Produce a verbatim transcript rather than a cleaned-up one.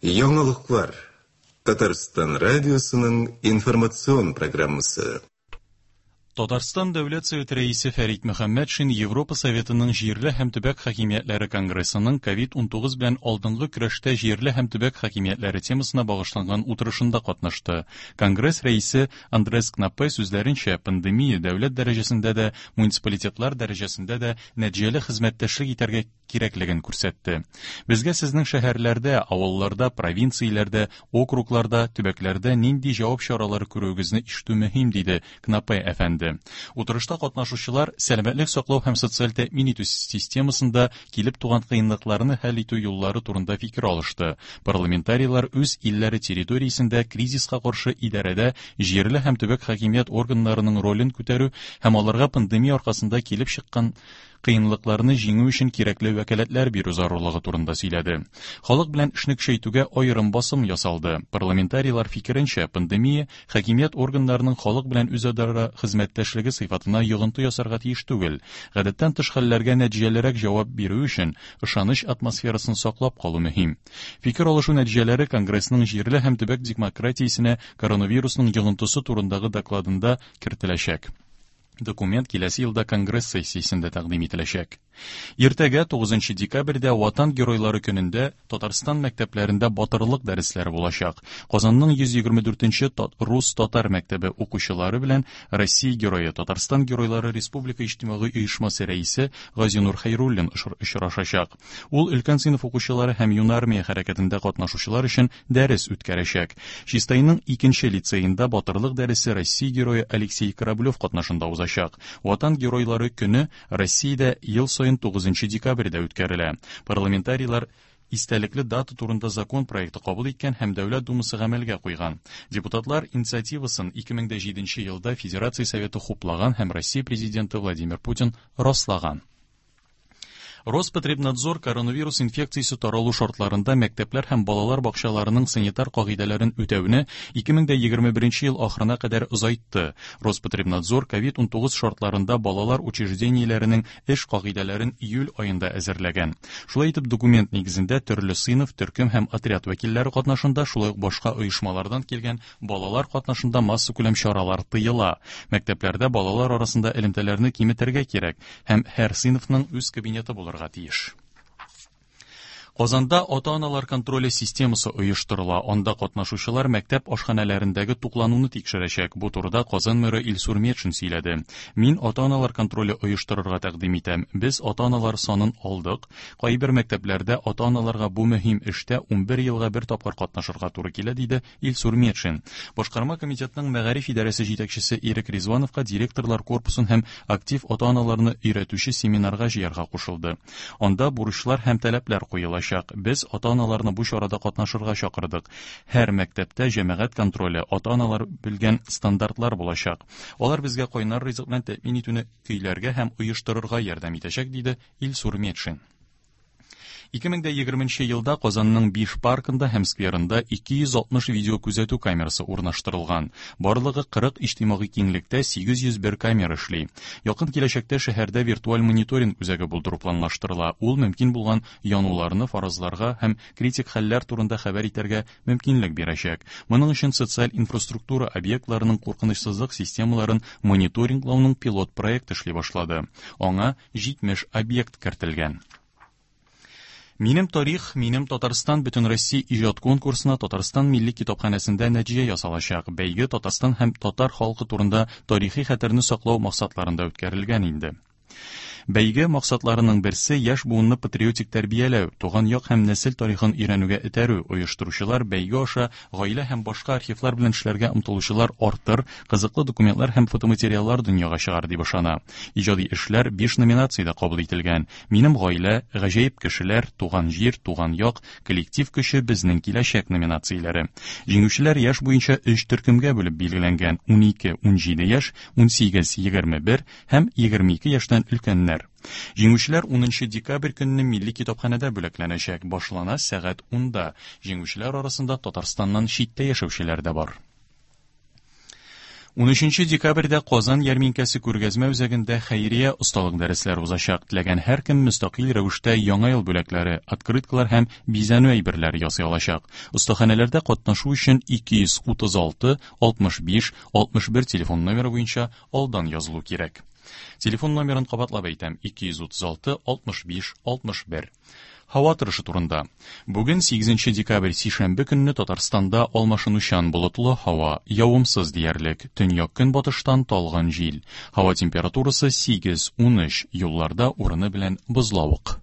Яңалыклар. Татарстан радиосының информацион программасы. Татарстан Дәүләт Советы рәисе Фәрит Мөхәммәтшин Европа Советының җирле һәм төбәк хакимиятләре конгрессының ковид унтугыз белән алдынгы көрәштә җирле һәм төбәк хакимиятләре темасына багышланган утырышында катнашты. Конгресс рәисе Андрес Кнаппе сүзләренчә, пандемия дәүләт дәрәҗәсендә дә, муниципалитетлар дәрәҗәсендә дә нәтиҗәле хезмәттәшлек итәргә кирәклеген күрсәтте. Безгә сезнең шәһәрләрдә, авылларда, провинцияләрдә, округларда, төбәкләрдә нинди җавап чаралары күрүегезне ишетү мөһим, диде Кнаппе әфәнде. Утырышта катнашучылар сәламәтлек саклау һәм социаль тәэмин итү системасында килеп туган кыенлыкларны хәл итү юллары турында фикер алышты. Парламентарийлар үз илләре территориясендә кризиска каршы идарәдә җирле һәм төбәк хакимият органнарының ролен күтәрү һәм аларга пандемия аркасында килеп чыккан кыенлыкларны җиңү өчен кирәкле вәкаләтләр бирү зарурлыгы турында сөйләде. Халык белән эшне көчәйтүгә аерым басым ясалды. Парламентарийлар фикеренчә, пандемия хакимият органнарының халык белән үзара хезмәттәшлеге сыйфатына йогынты ясарга тиеш түгел. Гадәттән тыш хәлләргә нәтиҗәлерәк җавап бирү өчен ышаныч атмосферасын саклап калу мөһим. Фикер алышу нәтиҗәләре Конгрессның җирле һәм төбәк демократиясенә коронавирусның йогынтысы турындагы докладында кертеләчәк. Документ киләсе елда Конгресс сессиясендә тәкъдим ителәчәк. Иртәгә тугызынчы декабрьдә Ватан геройлары көнендә Татарстан мәктәпләрендә батырлык дәресләре булачак. Казанның йөз егерме дүртенче рус-татар мәктәбе укучылары белән Россия герое, Татарстан геройлары Республика иҗтимагый оешмасы рәисе Газинур Хәйруллин очрашачак. Ул өлкән сыйныф укучылары һәм юнармия хәрәкәтендә катнашучылар өчен дәрес үткәрәчәк. Чистайның икенче лицеенда батырлык дәресе Россия герое Алексей Кораблев катнашында узачак. Ватан геройлары көне Россиядә ел саен тугызынчы декабрьдә үткәрелә. Парламентарийлар истәлекле дата турында закон проекты кабул иткән һәм Дәүләт Думасы гамәлгә куйган. Депутатлар инициативасын ике мең дә җиденче елда Федерация Советы хуплаган һәм Россия президенты Владимир Путин раслаган. Роспотребнадзор коронавирус инфекциясе таралу шартларында мәктәпләр һәм балалар бакчаларының санитар кагыйдәләрен үтәүне ике мең дә егерме беренче ел ахырына кадәр озайтты. Роспотребнадзор ковид унтугыз шартларында балалар учреждениеләренең эш кагыйдәләрен июль аенда әзерләгән. Шулай итеп, документ нигезендә төрле сыйныф, төркем һәм отряд вәкилләре катнашында, шулай ук башка оешмалардан килгән балалар катнашында массакүләм чаралар тыела. Мәктәпләрдә балалар арасында элемтәләрне киметергә кирәк һәм һәр сыйныфның үз кабинеты булырга тиеш. Казанда ата-аналар контроле системасы оештырыла. Анда катнашучылар мәктәп ашханәләрендәге туклануны тикшерәчәк. Бу турыда Казан мэры Илсур Метшин сөйләде. Мин ата-аналар контроле оештырырга тәкъдим итәм. Без ата-аналар санын алдык. Кайбер мәктәпләрдә ата-аналарга бу мөһим эштә унбер елга бер тапкыр катнашырга туры килә, диде Илсур Метшин. Башкарма комитетның мәгариф идарәсе җитәкчесе Ирек Ризвановка директорлар корпусын һәм актив ата-аналарны өйрәтүче семинарга җыярга кушылды. Анда бурычлар һәм таләпләр куелачак. Без ата-аналарны бу чарада катнашырга чакырдык. Һәр мәктәптә җәмәгать контроле, ата-аналар белгән стандартлар булачак. Алар безгә кайнар ризык белән тәэмин итүне көйләргә һәм оештырырга ярдәм итәчәк, диде Илсур Метшин. Ике мең дә егерменче елда Казанның биш паркында һәм скверында ике йөз алтмыш видео күзәтү камерасы урнаштырылган. Барлыгы кырык иҗтимагый киңлектә сигез йөз бер камера эшли. Якын киләчәктә шәһәрдә виртуаль мониторинг үзәге булдыру планлаштырыла. Ул мөмкин булган януларны фаразларга һәм критик хәлләр турында хәбәр итәргә мөмкинлек бирәчәк. Моның өчен социаль инфраструктура объектларының куркынычсызлык системаларын мониторинглауның пилот проекты эшли башлады. Аңа җитмеш объект кертелгән. Минем тарих, минем Татарстан Бөтен Россия иҗат конкурсына Татарстан Милли китапханәсендә нәтиҗә ясалачак. Бәйге Татарстан һәм татар халкы турында тарихи хәтерне саклау максатларында үткәрелгән инде. Бәйге максатларының берсе яшь буынны патриотик тәрбияләү, туган як һәм нәсел тарихын өйрәнүгә этәрү. Оештыручылар бәйге аша гаилә һәм башка архивлар белән эшләргә омтылучылар артыр, кызыклы документлар һәм фотоматериаллар дөньяга чыгар дип ышана. Иҗади эшләр биш номинациядә кабул ителгән. Минем гаилә, гаҗәеп кешеләр, туган җир, туган як, коллектив көче, безнең киләчәк номинацияләре. Җиңүчеләр яшь буенча өч төркемгә бүлеп билгеләнгән: унике, унҗиде яшь, унсигез, егерме бер һәм егерме ике яшьтән өлкәннәр. Җиңүчеләр унынчы декабрь көнне Милли китапханәдә бүләкләнәчәк. Башлана сәгать унда. Җиңүчеләр арасында Татарстаннан читтә яшәүчеләр дә бар. Унөченче декабрьдә Казан ярминкәсе күргәзмә үзәгендә хәйрия осталык дәресләре узачак. Теләгән һәркем мөстәкыйль рәвештә яңа ел бүләкләре, открыткалар һәм бизәнү әйберләре ясый алачак. Остаханәләрдә катнашу өчен ике йөз утыз алты, алтмыш биш, алтмыш бер телефон номеры буенча алдан язылу кирәк. Телефон номерын кабатлап әйтәм: ике йөз утыз алты, алтмыш биш, алтмыш бер. Һава торышы турында. Бүген сигезенче декабрь сишәмбе көнне Татарстанда алмашынучан болытлы һава, явымсыз диярлек, төньяк көнбатыштан талгын җил. Һава температурасы сигез, унөч, юлларда урыны белән бозлавык.